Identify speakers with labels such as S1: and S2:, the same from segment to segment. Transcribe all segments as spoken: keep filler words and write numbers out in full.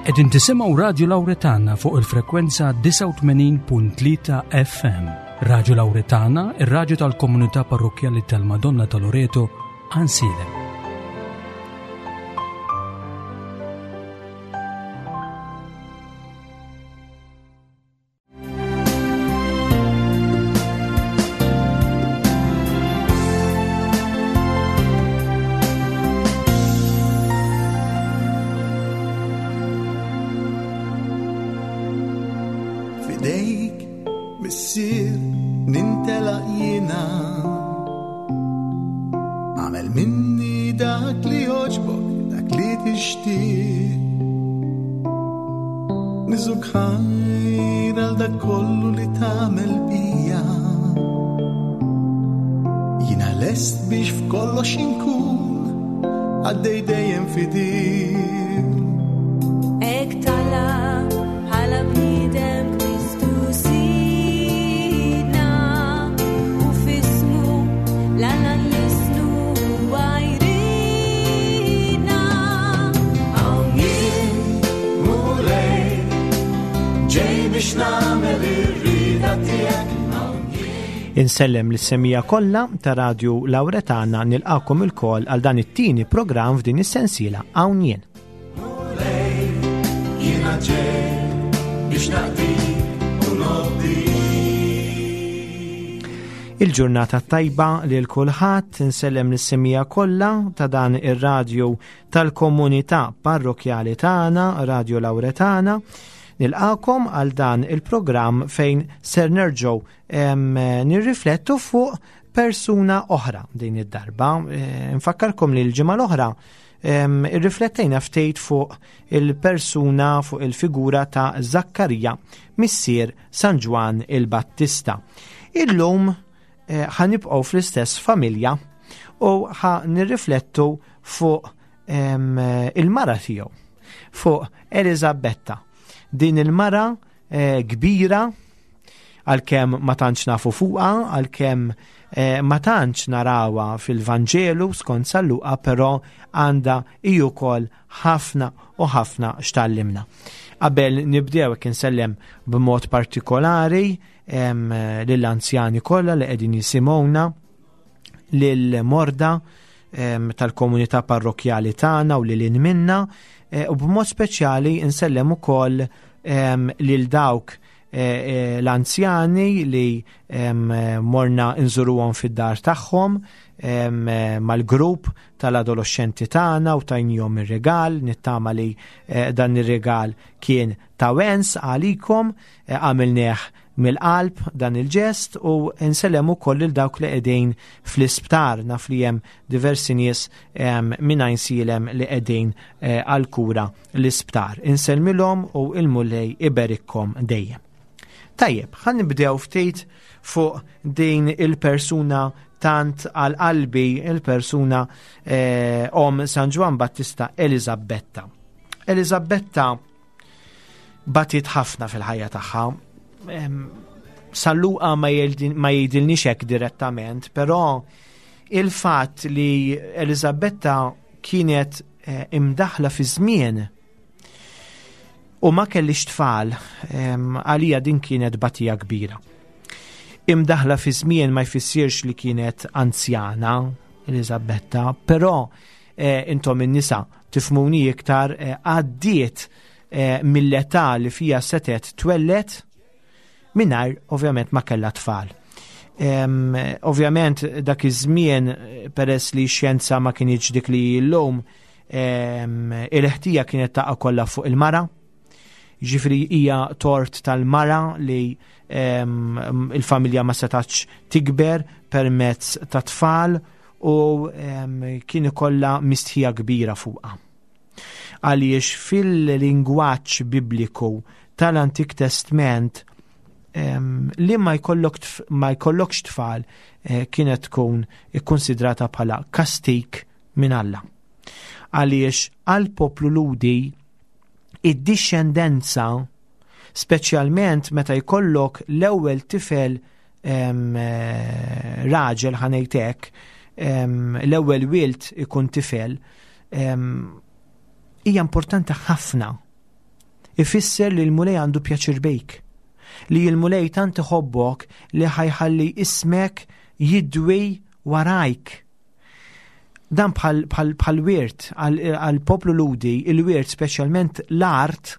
S1: Qegħdin tisimgħu Radio Lauretana fuq il-frekwenza disgħa u tmenin punt tlieta F M. Radio Lauretana, ir-radju tal-komunità parrokkjali tal-Madonna ta' Loreto, Għajnsielem.
S2: Fidejk, missier, nintelaq jiena. Għamel minni dak li joġbok, dak li tixtieq. Niżuk ħajr għal dak kollu li tagħmel bija. Jiena lest biex f'kollox inkun għaddej dejjem fidil.
S3: Hekk talab bħala bniedem Kristu Sidna, u f'ismu l-Alla nlisnu għajrina.
S2: Hawn jien, Mulej, ġej biex nagħmel ir-rieda tiegħek.
S4: Insellem lis-semija kollha ta' Radio Lauretana, nilqakom ilkoll għal dan it-tieni programm f'din is-sensiela Hawn Jien.
S2: Mulej, jiena ġej biex naqdik u nobdik.
S4: Il-ġurnata tajba lil kulħadd, insellem lis-semija kollha ta' dan ir-radju tal-komunità parrokjali tagħna, Radio Lauretana. Nilqakom għal dan il-programm fejn ser nerġgħu, em, nirriflettu fuq persuna oħra din id-darba. Eh, nfakkarkom li l-ġimgħa l-oħra, em, irriflettejna ftit fuq il-persuna, fuq il-figura ta' Zakkarija, missier San Ġwann il-Battista. Illum, eh, ħanibqgħu fl-istess familja u ħa nirriflettu fuq, em, il-mara tiegħu, fuq Eliżabetta. Din il-mara, eh, kbira, għalkemm ma tantx nafu fuqha, għalkemm, eh, ma tantx narawha fil-Vanġelu skont San Luqa, però għandha hi wkoll ħafna u ħafna x'tallimna. Qabel nibdew hekk insellem b'mod partikolari, em, lill-anzjani kollha li qegħdin jisimgħuna, lill-morda, em, tal-komunità parrokjali tagħna u lil minna, eh, u b'mod speċjali insellem ukoll, em, lil dawk, eh, eh, l-anzjani li, em, morna nżuruhom fid-dar tagħhom, em, mal-grupp tal-adolescenti tagħna u tajnihom ir-regal. Nittama li, eh, dan ir-regal kien ta' wens għalikom, eh, għamilnieh mill-qalb dan il-ġest, u nsellem ukoll lil dawk li qegħdin fl-isptar. Naf li hemm diversi nies, em, minn Għajnsielem li qegħdin, eh, għall-kura l-isptar. Insellmilhom u l-Mulej iberikkom dejjem. Tajjeb, ħa nibdew ftit fuq din il-persuna tant għal qalbi, il-persuna, eh, om San Ġwann Battista, Eliżabetta. Eliżabetta batiet ħafna fil-ħajja tagħha. Em, San Luqa ma jgħidil-, ma jgħidilniex hekk direttament, però il-fatt li Eliżabetta kienet, eh, imdaħla fi żmien u ma kellix tfal, em, għalija din kienet batija kbira. Imdaħla fi żmien ma jfissirx li kienet anzjana Eliżabetta, però, eh, intom in-nisa tifhmuni iktar, eh, għaddiet, eh, mill-età li fija setet twellet mingħajr ovvjament ma kellha tfal. Em, ovvjament dak iż-żmien, peress li x-xjenza ma kienx dik li llum, em, il-ħtija kienet taqa' kollha fuq il-mara. Ġifieri hija tort tal-mara li, em, il-familja ma setax tikber permezz ta' tfal u, em, kien ikollha mistħija kbira fuqha. Għaliex fil-lingwaġġ bibliku tal-Antik Testament, em, li ma jkollok tf-, ma jkollokx tfal, eh, kienet tkun ikkonsidrata bħala kastik minn Alla. Għaliex għal poplu Lhudi id-dixxendenza, speċjalment meta jkollok l-ewwel tifel, em, eh, raġel, ħanejtek, em, l-ewwel wild ikun tifel, em, hija importanti ħafna. Ifisser li l-Mulej għandu pjaċir bik. Li l-Mulej tant iħobbok li ħa jħalli ismek jidwi warajk. Dan bħal, bħal, bħal wirt għal poplu Lhudi, il-wirt, speċjalment l-art,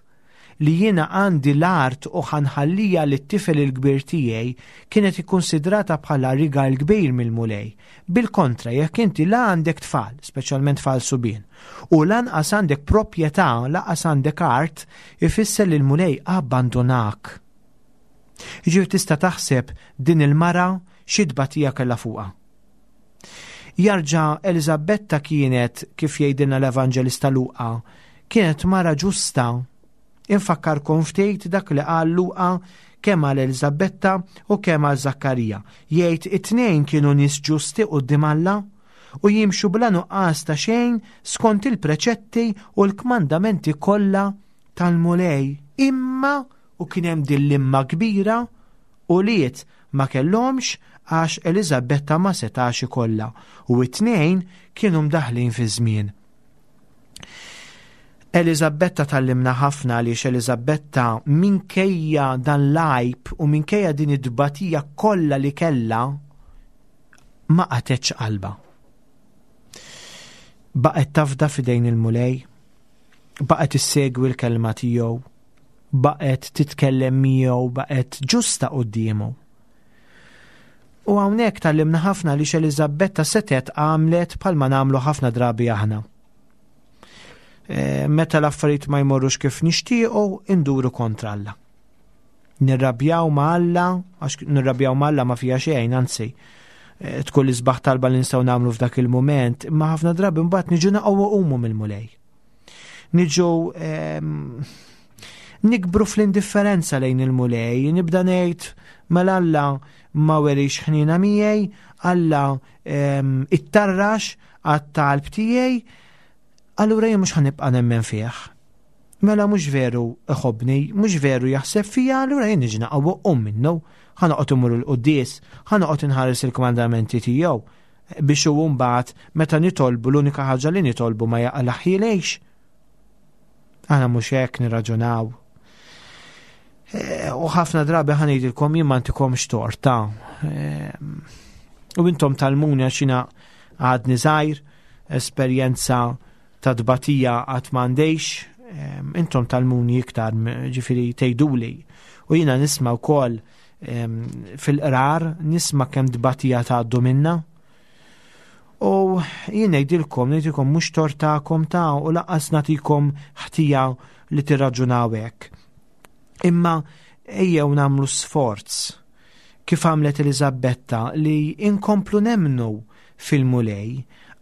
S4: li jiena għandi l-art u ħa nħalliha lit-tifel il-kbir tiegħi, kienet ikkonsidrata bħala rigal kbir mill-Mulej. Bil-kontra, jekk inti la għandek tfal, speċjalment tfal subien, u lanqas għandek proprjetà, lanqas għandek art, ifisser li l-Mulej abbandonak. Ġifieri tista' taħseb din il-mara xi tbatija kellha fuqha. Jarġa' Eliżabetta kienet, kif jgħidilna l-Evanġelista Luqa, kienet mara ġusta. Infakkarkom ftit dak li qal Luqa kemm għal Eliżabetta u kemm għal Zakkarija. Jgħid it-tnejn kienu nies ġusti quddiem Alla u jimxu bla nuqqas ta' xejn skont il-preċetti u l-kmandamenti kollha tal-Mulej. Imma, u kien hemm din l-imma kbira, ulied ma kellhomx għax Eliżabetta ma setax ikollha u it-tnejn kienu mdaħlin fi żmien. Eliżabetta tgħallimna ħafna għaliex Eliżabetta, minkejja dan l-għajb u minkejja din id-dbatija kollha li kellha, ma qatgħetx qalbha. Baqgħet tafda f'idejn il-Mulej, baqgħet issegwi l-kelma tiegħu, baqgħet titkellem miegħu, baqgħet ġusta quddiemu. U hawnhekk tgħallimna ħafna li Eliżabetta setgħet għamlet bħalma nagħmlu ħafna drabi aħna. E, meta l-affarijiet ma jmorrux kif nixtiequ, induru kontra Alla. Nirrabjaw ma' Alla, għax nirrabjaw ma' Alla ma fija xejn, anzi, e, tkun l-isbaħ talba li nistgħu nagħmlu f'dak il-mument, imma ħafna drabi mbagħad niġu naqgħu qumu mill-Mulej. Niġu nikbru fl-indifferenza lejn il-Mulej, nibda ngħid mela Alla ma werix ħnina miegħi, Alla ittarrax għat-talb tiegħi, allura jien mhux ħa nibqa' nemmen fih. Mela mhux veru iħobbni, mhux veru jaħseb fija, allura jien niġi naqgħu um minnu, ħa noqgħod immur il-quddies, ħa noqgħod inħares il-kmandamenti tiegħu biex u mbagħad meta nitolbu, l-unika ħaġa li nitolbu ma jaqlaħilejx. Aħna mhux hekk nirraġunaw. E, u ħafna drabi, ħa ngħidilkom, jien ma ntikomx tort. E, u intom tgħallmuni għax jiena għadni żgħir, esperjenza ta' tbatija għad m'għandix, intom tgħallmuni iktar, ġifieri tgħiduli. U jiena nisma' wkoll fil-qrar, nisma' kemm tbatija tgħaddu minna. U jien ngħidilkom, ngħidilkom mhux tort tagħkom ta' u lanqas nagħtikom ħtija li tirraġunaw hekk. Imma ejjew nagħmlu sforz kif għamlet Eliżabetta li inkomplu nemnu fil-Mulej,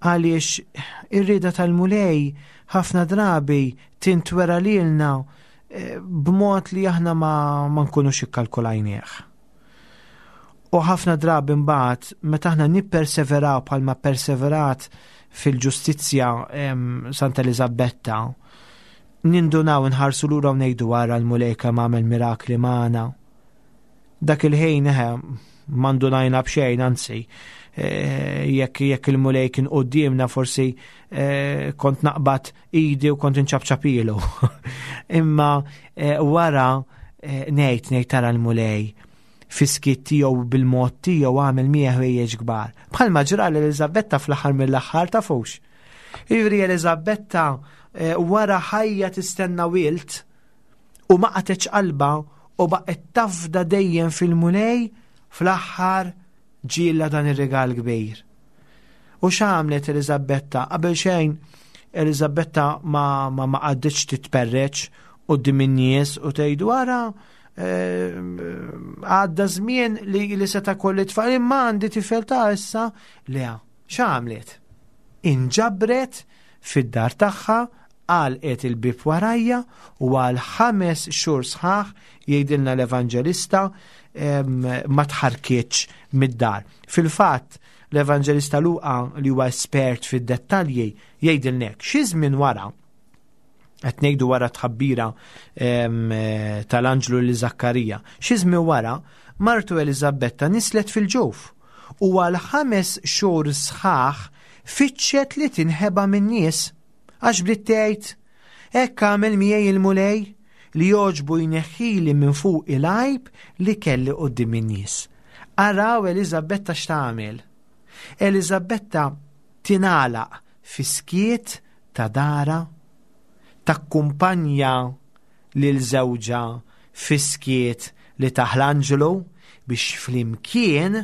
S4: għaliex ir-rieda tal-Mulej ħafna drabi tintwera lilna eh, b'mod li aħna ma, ma nkunux ikkalkulajnieh. U ħafna drabi mbagħad meta aħna nipperseveraw bħalma perseverat fil-ġustizzja Santa Eliżabetta, nindunaw, nħarsu lura u ngħidu wara, l-Mulej kemm għamel mirakli magħna. Dak il-ħin eħe ma ndunajna b'xejn, anzi, eh, jekk jekk il-Mulej kien quddiemna forsi eh, kont naqbad idi u kont inċapċapilu. Imma eh, wara ngħid ngħid tara l-Mulej fis-skiet tiegħu, bil-mod tiegħu, għamel miegħi ħwejjeġ kbar. Bħalma ġra l-Eliżabetta fl-aħħar mill-aħħar, tafux. Ivri Eliżabetta wara ħajja tistenna wild u ma qatgħetx qalbha u baqgħet tafda dejjem fil-Mulej, fl-aħħar ġielha dan ir-rigal kbir. U x'għamlet Eliżabetta? Qabel xejn, Eliżabetta ma ma ma qagħditx titperreċ quddiem in-nies u tgħidu wara eh, għadda żmien li li seta' kolli tfal imma għandi tifel ta' issa. Le, x'għamlet? Inġabret fid-dar tagħha, għalqet il-bib warajha u għal ħames xhur sħaħ, jgħidilna l-Evanġelista, ma tħarkitx mid-dar. Fil-fatt, l-Evanġelista Luqa, li huwa espert fid-dettalji, jgħidilna hekk, xi żmien wara, qed ngħidu wara tħabbira tal-anġlu li Zakkarija, xi żmien wara martu Eliżabetta nislet fil-ġuf u għal ħames xhur sħaħ fittxet li tinħeba min-nies għax bdiet tgħid, hekk għamel miegħi il-Mulej li jogħġbu jneħħili minn fuq il-għajb li kelli quddiem in-nies. Araw Eliżabetta x'tagħmel. Eliżabetta tingħalaq fis-skiet ta' dara, takkumpanja lil żewġha fis-skiet li tah l-anġlu biex flimkien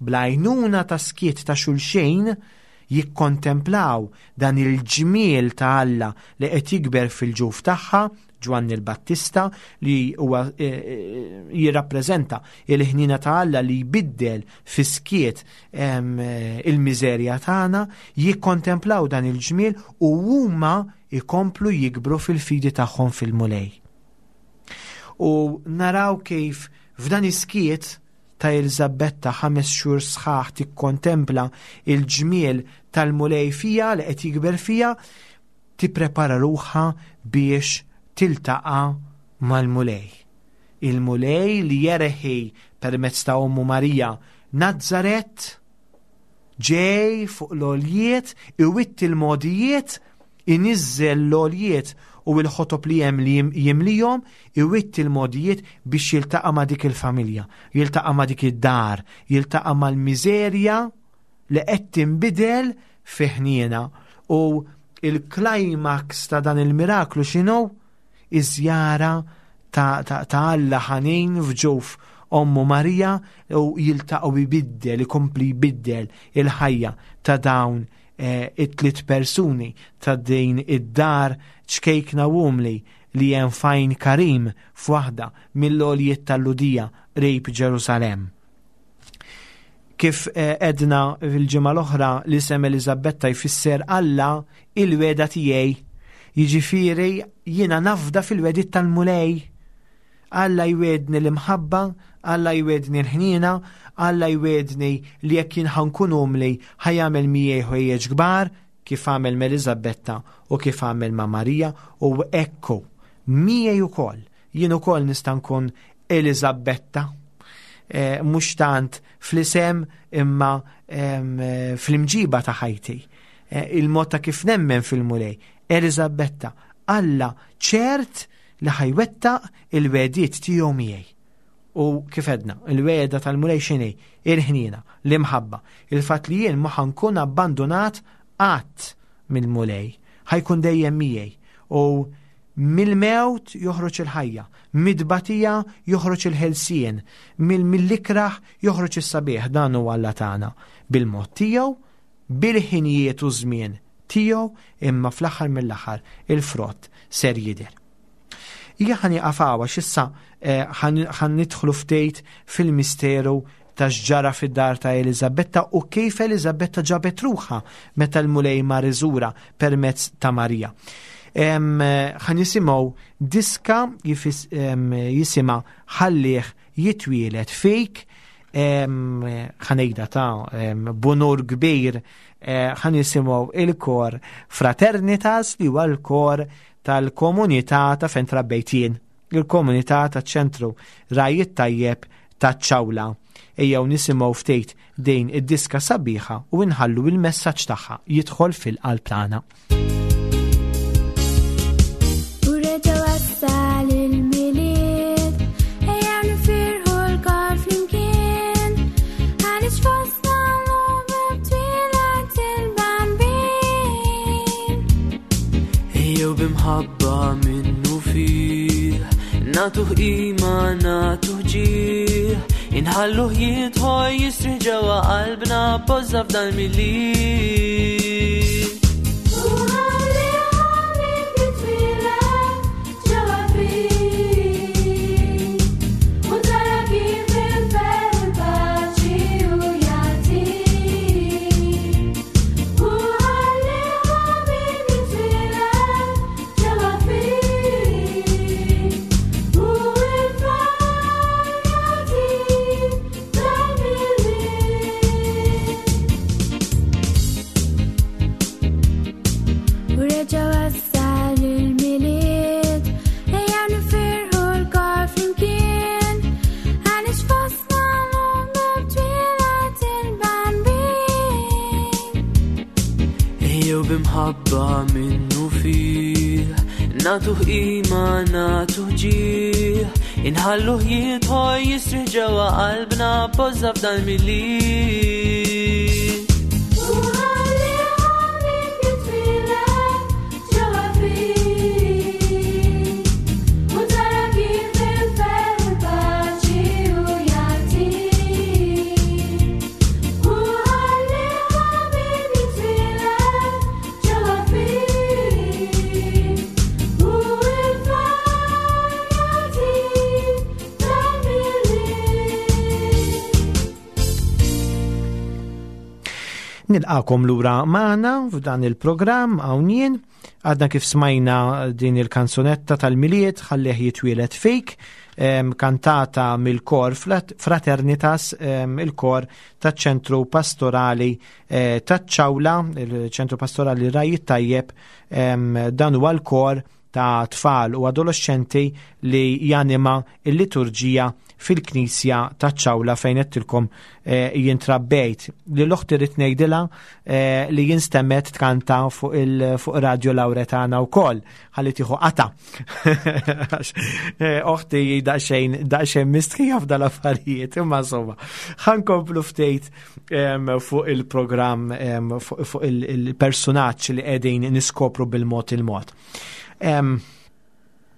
S4: bl-għajnuna ta' skiet ta' xulxejn jikkontemplaw dan il-ġmiel ta' Alla li qed jikber fil-ġuf tagħha, Ġwanni l-Battista, li huwa eh, eh, jirrappreżenta il-ħnina ta' Alla li jbiddel fis-skiet eh, il-miżerja tagħna, jikkontemplaw dan il-ġmiel u huma jkomplu jikbru fil-fidi tagħhom fil-Mulej. U naraw kif f'dan is-skiet ta' Eliżabetta ħames xhur sħaħ tikkontempla il-ġmiel tal-Mulej fija li qed jikber fija, tipprepara ruħha biex tiltaqa' mal-Mulej. Il-Mulej li jerħi permezz ta' ommu Marija Nazzaret, ġej fuq l-għoljiet, iwitt il-modijiet, iniżżel l-għoljiet u l-ħotob li hemm li jimlihom, iwitt il-modijiet biex jiltaqa' ma' dik il-familja, jiltaqa' ma' dik id-dar, jiltaqa' mal-miżerja li qed tinbidel fi ħniena. U il-climax ta' dan il-miraklu x'inhu? Iż-żjara ta', ta, ta' Alla ħanin f'ġuf ommu Marija u jiltaqgħu jbiddel, ikompli jbiddel il-ħajja ta' dawn eh, it-tliet persuni ta' din id-dar ċkejkna u umli li hemm f'Għajn Karim f'waħda mill-għoljiet tal-Lhudija qrib Ġerusalemm. Kif eh, edna fil-ġimgħa l-oħra, l-isem Eliżabetta jfisser Alla il-wegħda tiegħi. Jiġifieri jiena nafda fil-wegħdiet tal-Mulej. Alla jwegħedni l-imħabba, Alla jwegħedni l-ħniena, Alla jwegħedni li jekk jien ħa nkun umli ħa jagħmel miegħi ħwejjeġ kbar, kif għamel ma' Eliżabetta u kif għamel ma' Marija, u ekku miegħi ukoll, jien ukoll nista' nkun Eliżabetta. Eh, mhux tant fl-isem imma em, eh, fl-imġiba ta' ħajti. Eh, il-mod ta' kif nemmen fil-Mulej. Eliżabetta, Alla ċert li ħa jwettaq il-wegħdiet tiegħu miegħi. U kif edna, il-wegħda tal-Mulej x'inhi? Il-ħniena, l-imħabba, il-fatt li jien ma ħa nkun abbandonat qatt mill-Mulej, ħa jkun dejjem miegħi. U mill-mewt joħroġ il-ħajja, mid-batija joħroġ il-ħelsien, mill-ikraħ joħroġ is-sabiħ. Dan huwa Alla tagħna bil-mod tiegħu, bil-ħinijiet u żmien tiegħu, imma fl-aħħar mill-aħħar il-frott ser jidher. Ija ħa nieqaf hawn għax issa eh, ħan nidħlu ftit fil-misteru ta' x'ġara fid-dar ta' Eliżabetta u kif Eliżabetta ġabet ruħha meta l-Mulej mar iżurha permezz ta' Marija. Ħa nisimgħu diska jisimha Ħallih Jitwieled Fik, ħa ngħidha ta' b'unur kbir, eh, ħa nisimgħu il-kor Fraternitas li huwa l-kor tal-komunità ta' fejn trabbejt jien, il-komunità ta' ċentru Ragħaj it-Tajjeb ta' Ċawla. Ejjew nisimgħu ftit din id-diska sabiħa u nħallu il-messaġġ tagħha jidħol fil-qalb tagħna.
S3: U reġa' wasal il-Milied, ejja nifirħu lkoll flimkien, għaliex fostna llum twieled il-Bambin.
S5: Ejjew b'imħabba minnu fih, nagħtuh qima, nagħtuh ġieħ, inħalluh jidħol jistrieħ ġewwa qalbna b'għożża f'dan il-Milied.
S3: U ħalli ħabib jitwieled ġewwa fik, u tara kif il-ferħ u l-paċi u jagħtik. U ħalli ħabib jitwieled ġewwa fik, u il-ferħ jagħtik dal-Milied. U reġa' wasal il-Milied, ejja nifirħu lkoll flimkien, għaliex fostna llum twieled il-Bambin.
S5: Ejjew b'imħabba minnu fih, Nagħtuh qima, nagħtuh ġieħ, inħalluh jidħol jisriħ ġewwa qalbna poża f'dan Milied.
S3: U ħalli ħabib jitwieled ġewwa fik, u tara kif il-ferħ u l-paċi hu jagħtik. U ħalli ħabib jitwieled ġewwa fik, u l-ferħ jagħtik dal-Milied.
S4: Nilqakom lura magħna f'dan il-programm hawn jien. Għadna kif smajna din il-kanzunetta tal-Milied ħallih jitwieled fik, em, kantata mill-kor Fraternitas, em, il-kor taċ-ċentru pastorali eh, taċ-Ċawla, il-ċentru pastorali Ragħaj it-Tajjeb, em, dan huwa l-kor ta' tfal u adolescenti li janima il-liturġija fil-knisja taċ-Ċawla fejn għedtilkom eh, jien trabbejt. Li l-oħti rrid ngħidilha eh, li jien stemmet tkanta fuq il fuq Radio Lauretana wkoll ħalli tieħu qata. Għax, eh, oħti daqsxejn daqsxejn mistħija f'dal-affarijiet, imma insomma. Ħa nkomplu ftit em, fuq il-programm em, fuq fuq il- il-personaġġ li qegħdin niskopru bil-mod il-mod. Em,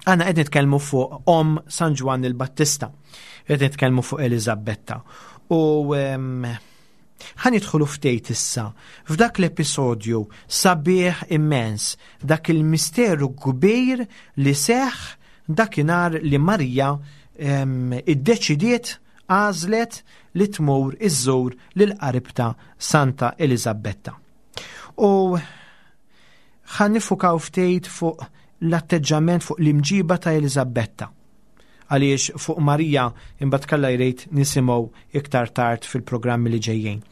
S4: Għana qed nitkellmu fuq Om San Ġwann il-Battista, qed nitkellmu fuq Eliżabetta. U em, ħa nidħlu ftit issa f'dak l-episodju sabiħ immens, dak il-misteru kbir li seħ dakinhar li Marija em, iddeċidiet għażlet li tmur iżżur lil qaribta Santa Eliżabetta. U ħa niffukaw ftit fuq l-atteġġament, fuq l-imġiba ta' Eliżabetta. Għaliex fuq Marija imbagħad kalla jrejt nisimgħu iktar tard fil-programmi li ġejjin.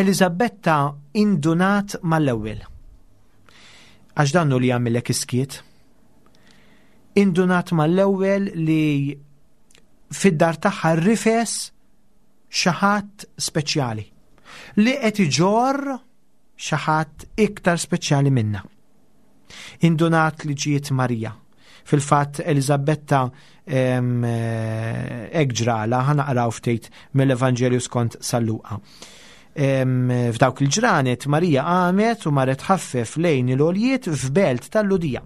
S4: Eliżabetta indunat mal-ewwel. Għax dannu li jagħmilek iskiet. Indunat mal-ewwel li fid-dar tagħha rifes xi ħadd speċjali li qed iġorr xi ħadd iktar speċjali minna. Indunat li ġiet Marija. Fil-fatt Eliżabetta em, eh, hekk ġrala, ħa naqraw ftit mill-Evanġelju skont San Luqa. Em, F'dawk il-ġranet Marija qamet u marret ħaffef lejn il-għoljiet f'belt tal-Lhudija.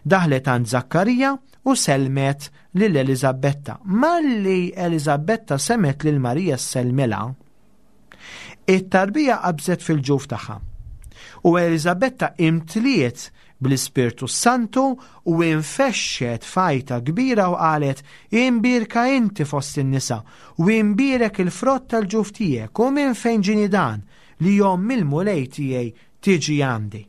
S4: Daħlet għand Zakkarija u selmet lil Eliżabetta. Malli Eliżabetta semgħet lil Marija ssellmilha, it-tarbija qabżet fil-ġuf tagħha. U Eliżabetta imtliet bl-Ispirtu Santu u infexxet f'għajta kbira u qalet: "Imbierka inti fost in-nisa u imbierek il-frott tal-ġuf tiegħek, u minn fejn ġieni dan li omm il-Mulej tiegħi tiġi għandi.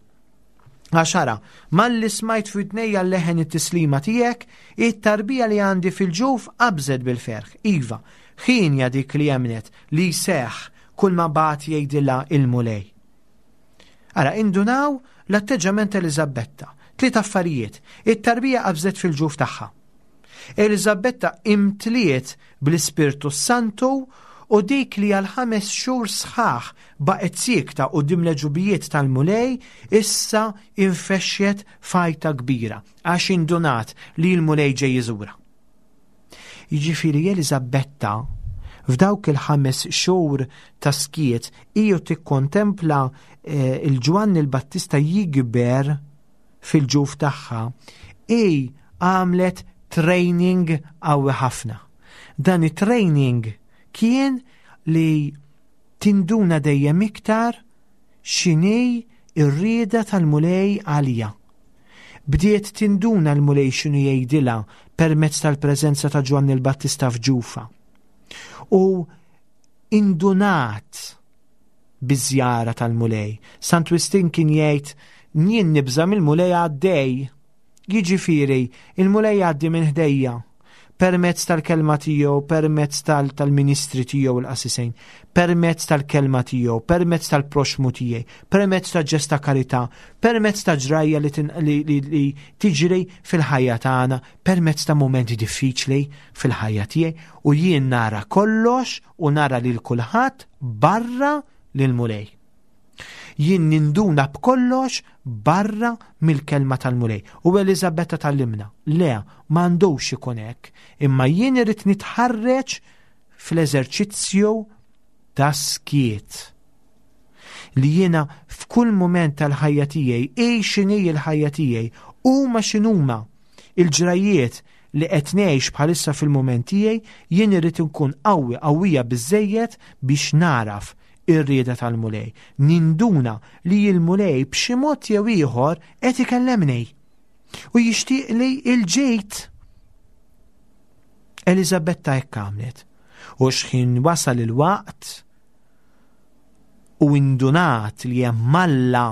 S4: Għax ara, malli smajt f'widnejja leħen it-tislima tiegħek, it-tarbija li għandi fil-ġuf qabżet bil-ferħ. Iva, ħienja dik li emmnet li jseħħ kull ma bagħat jgħidilha il-Mulej." Ara, indunaw l-atteġġament Eliżabetta. Tliet affarijiet. It-tarbija qabżet fil-ġuf tagħha. Eliżabetta imtliet bl-Ispirtu Santu u dik li għal ħames xhur sħaħ baqgħet siekta quddiem l-għeġubijiet tal-Mulej issa infexxet f'għajta kbira għax indunat li l-Mulej ġej jiżura. Jiġifieri Eliżabetta f'dawk il-ħames xhur ta' skiet iju tikkontempla eh, il-Ġwanni l-Battista jikber fil-ġuf tagħha, i għamlet training qawwi ħafna. Dan it-training kien li tinduna dejjem iktar x'inhi ir-rieda tal-Mulej għalija. Bdiet tinduna l-Mulej x'inhu jgħidilha permezz tal-preżenza ta' Ġwanni l-Battista f'ġufa. U indunat biż-żjara tal-Mulej. Sant Wistin kien jgħid, jien nibża' mill-Mulej għaddej. Jiġifieri, il-Mulej għaddi minn ħdejja permezz tal-kelma tiegħu, permezz tal- tal-ministri tiegħu l-qassisejn, permezz tal-kelma tiegħu, permezz tal-proxmu tiegħi, permezz ta' ġest ta' karità, permezz ta' ġrajja li tin-, li, li, li tiġri fil-ħajja tagħna, permezz ta' momenti diffiċli fil-ħajja tiegħi, u jien nara kollox u nara lil kulħadd barra lil Mulej. Jien ninduna b'kollox barra mill-kelma tal-Mulej. U Eliżabetta tgħallimna, le, m'għandux ikun hekk, imma jien irrid nitħarreġ fl-eżerċizzju ta' skiet. Li jiena f'kull mument tal-ħajja tiegħi, hi x'inhi l-ħajja tiegħi, huma x'inhuma il-ġrajiet li qed ngħix bħalissa fil-mument tiegħi, jien irrid inkun qawwi, qawwija biżejjed biex naraf ir-rieda tal-Mulej. Ninduna li l-Mulej b'xi mod jew ieħor qed ikellemni u jixtieq li l-ġejt. Eliżabetta hekk għamlet. U x'ħin wasal il-waqt u indunat li hemm Alla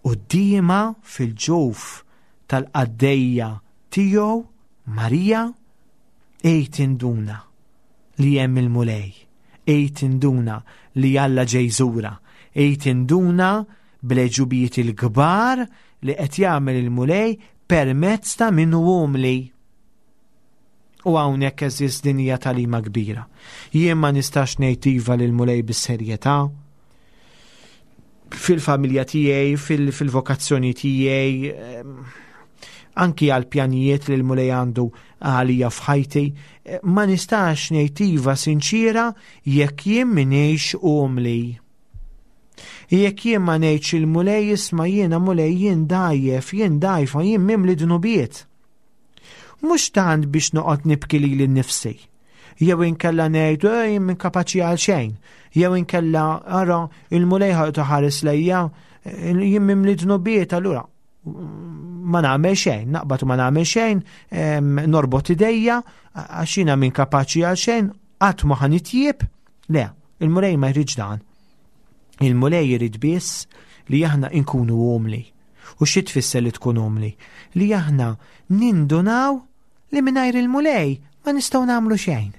S4: quddiemha fil-ġuf tal-qaddejja tiegħu Marija, ejt induna li hemm il-Mulej, ejt induna li Alla ġej żura, ejt induna bl-għeġubijiet il-kbar li qed jagħmel il-Mulej permezz ta' min hu umli. U hawnhekk eżist din hija tagħlima kbira. Jien ma nistax ngħid iva lill-Mulej bis-serjetà fil-familja tiegħi, fil-vokazzjoni tiegħi, anki għal pjanijiet li l-Mulej għandu għalija f'ħajti, ma nistax ngħid iva sinċira jekk jien m'iniex umli. Jekk jien ma ngħidx il-Mulej isma' jiena Mulej jien dgħajjef, jien dgħajfa, jien mimli dnubiet. Mhux tant biex noqgħod nibki lili nnifsi. Jew inkella ngħid jien minn kapaċi għal xejn, jew inkella ara il-Mulej ħa ħares lejja, jien mimli dnubiet, allura ma nagħmel xejn, naqbad u ma nagħmel xejn, norbot idejja għax jiena minn kapaċi għal xejn, qatt ma ħa nitjieb. Le, il-Mulej ma jridx dan. Il-Mulej jrid biss li aħna nkunu umli. U xi tfisser li tkun umli? Li aħna nindunaw li mingħajr il-Mulej ma nistgħu nagħmlu xejn.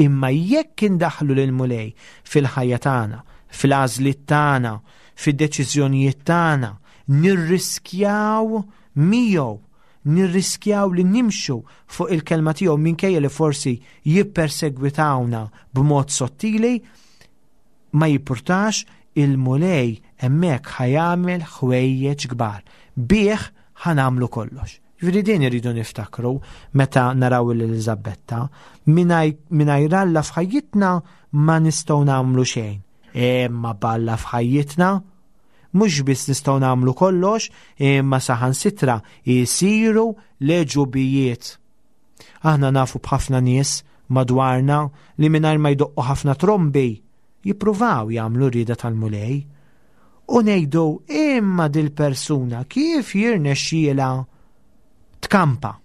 S4: Imma jekk indaħħlu lill-Mulej fil-ħajja tagħna, fil-għażliet tagħna, fid-deċiżjonijiet tagħna, nirriskjaw miegħu, nirriskjaw li nimxu fuq il-kelma tiegħu minkejja li forsi jippersegwitawna b'mod sottili, ma jippurtax, il-Mulej hemmhekk ħa jagħmel ħwejjeġ kbar. Bih ħa nagħmlu kollox. Ġifieri din irridu niftakru meta naraw lil Eliżabetta, mingħajr Alla f'ħajjitna ma nistgħu nagħmlu xejn. Imma b'Alla f'ħajjitna mhux biss nistgħu nagħmlu kollox, imma saħansitra jsiru l-għeġubijiet. Aħna nafu b'ħafna nies madwarna li mingħajr ma jdoqqu ħafna trombi jippruvaw jagħmlu rieda tal-Mulej. U ngħidu imma dil-persuna kif jirnexxielha tkampa?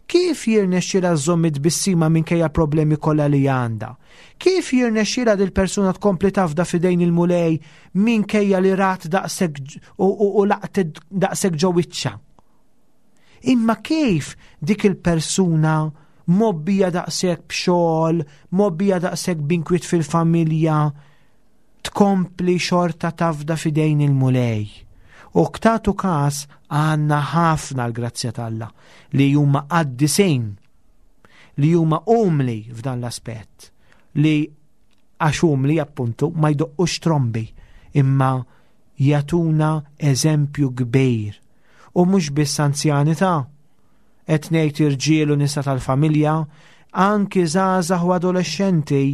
S4: Kif jirnexxielha żżomm it-tbissima minkejja problemi kollha li għandha? Kif jirnexxielha dil-persuna tkompli tafda f'idejn il-Mulej minkejja li rat daqshekk u laqtet daqshekk ġo wiċċha? Imma kif dik il-persuna mobbija daqshekk b'xogħol, mobbija daqshekk b'inkwiet fil-familja, tkompli xorta tafda f'idejn il-Mulej? U ktatu kas għandna ħafna l-grazzja t'Alla li huma qaddisin, li huma umli f'dan l-aspett, li għax umli appuntu ma jdoqqux trombi, imma jagħtuna eżempju kbir. U mhux biss anzjani ta' qed ngħid irġiel u nisa tal-familja, anki żgħażagħ u adolescenti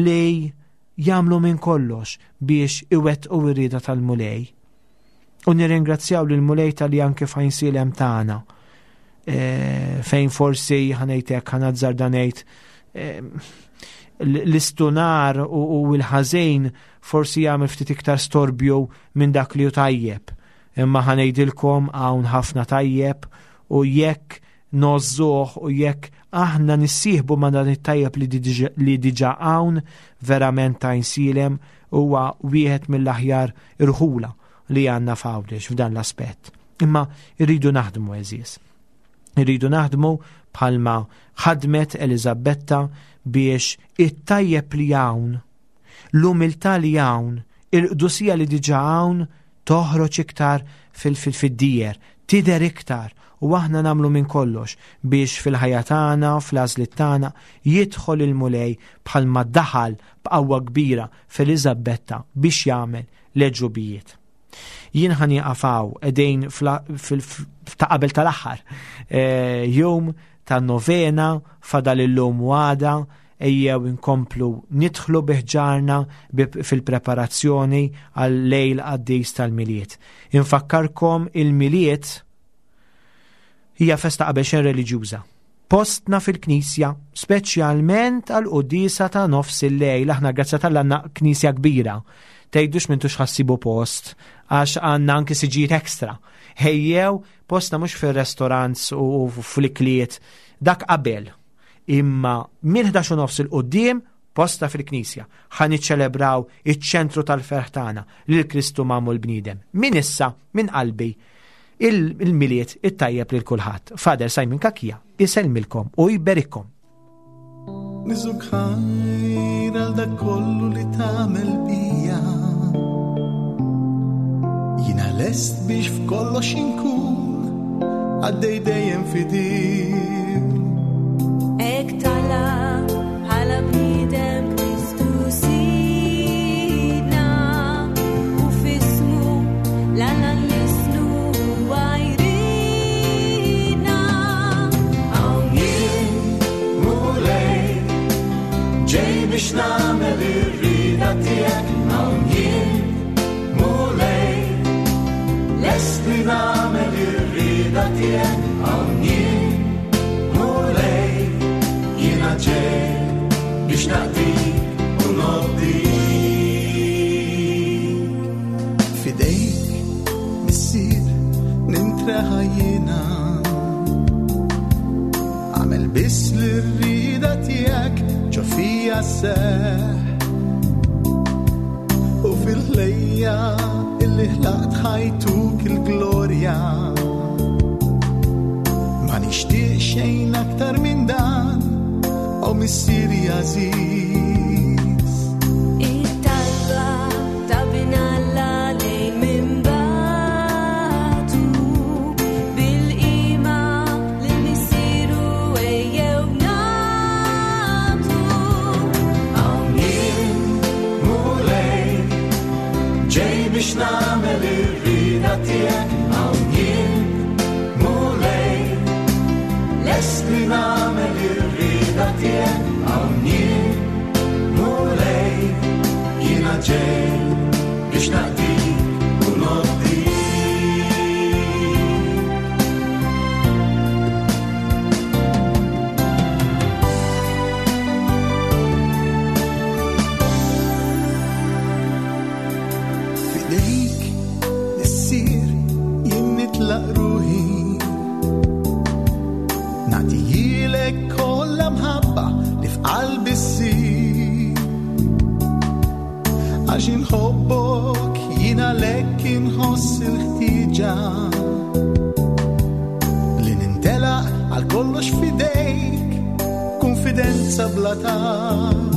S4: li jagħmlu minn kollox biex iwettqu r-rieda tal-Mulej. U nirringrazzjaw lil Mulej tal-li anke fejn silem tagħna, e, fejn forsi ħanejtek ħanazzarda ngħid, e, l-istunar u, u l-ħażin forsi jagħmel ftit iktar storbju minn dak li hu tajjeb. Imma ħanejdilkom hawn ħafna tajjeb, u jekk nożżuh u jekk aħna nissieħbu ma' dan it-tajjeb li diġa, li diġa hawn, verament ta' Għajnsielem huwa wieħed mill-aħjar irħula li għandna f'Għawdex f'dan l-aspett. Imma irridu naħdmu, għeżież. Irridu naħdmu bħalma ħadmet Eliżabetta biex it-tajjeb li hawn, l-umiltà li hawn, il-qdusija li diġa hawn toħroġ iktar fil-, fil-, fid-dijer, Tidher iktar u aħna nagħmlu minn kollox biex fil-ħajja tagħna, fl-għażliet tagħna jidħol il-Mulej bħalma daħal b'qawwa kbira f'Eliżabetta biex jagħmel l-għeġubijiet. Jien ħa nieqaf hawn qegħdin ta' qabel tal-aħħar jum ta' novena fadal illum u għada, ejjew inkomplu nidħlu biħġarna fil-preparazzjoni għal-lejl qaddis tal-Milied. Infakkarkom il-Milied hija festa qabel xejn reliġjuża. Postna fil-knisja, speċjalment għal-quddiesa ta' nofs il-lejl, aħna grazzi t'Alla għandna knisja kbira. Tgħidux m'intux ħa ssibu post, għax għandna anki siġijiet ekstra. Ejjew, postna mhux fil-restaurants u fl-ikliet, dak qabel. Imma minn ħdax u nofs 'il quddiem postna fil-knisja. Ħa niċċelebraw iċ-ċentru tal-ferħ tagħna lil Kristu magħmul bniedem. Min issa, minn qalbi, il-Milied it-tajjeb lil kulħadd. Father Simon Cachia isellmilkom u jberikkom.
S2: Niżżuk ħajr għal dak kollu li tagħmel bija. Jiena lest biex f'kollox inkun għaddej dejjem fidil.
S3: Hekk tala bħala bniedem Kristu Sidna u f'ismu l-Alla nlissnu għajridna.
S2: Hawn jien, Mulej, ġej biex nagħmel ir-rieda tiegħek. Hawn jien, Mulej, lest li nagħmel ir-rieda tiegħek. Hawn jien, Mulej, jiena ġej biex naqdik u nobdik. F'idejk, Missier, nintreħa jiena. Agħmel biss l-rieda tiegħek ġo fija sseħħ. U fil-ħlejja illi ħlaqt ħa jtuk il-glorja. Ma nixtieq xejn aktar minn dan, o Missieri għażiż.
S3: It-talba ta' Bin Alla lejn minn bagħtu, bil-qima lil Missieru ejjew nagħtu.
S2: Hawn jien, Mulej, ġej biex nagħmel ir-rieda tiegħek. Hawn jien, Mulej, lest li nagħmel ir-rieda tiegħek. Hawn jien, Mulej, jiena ġej biex naqdik u nobdik. F'idejk, Missier, jien nitlaq ruħi. Nagħtihilek kollha mħabba li f'qalbi ssir. Għax inħobbok jien għalhekk inħoss il-ħtieġa li nintelaq għal kollox f'idejk, konfidenza bla tarf.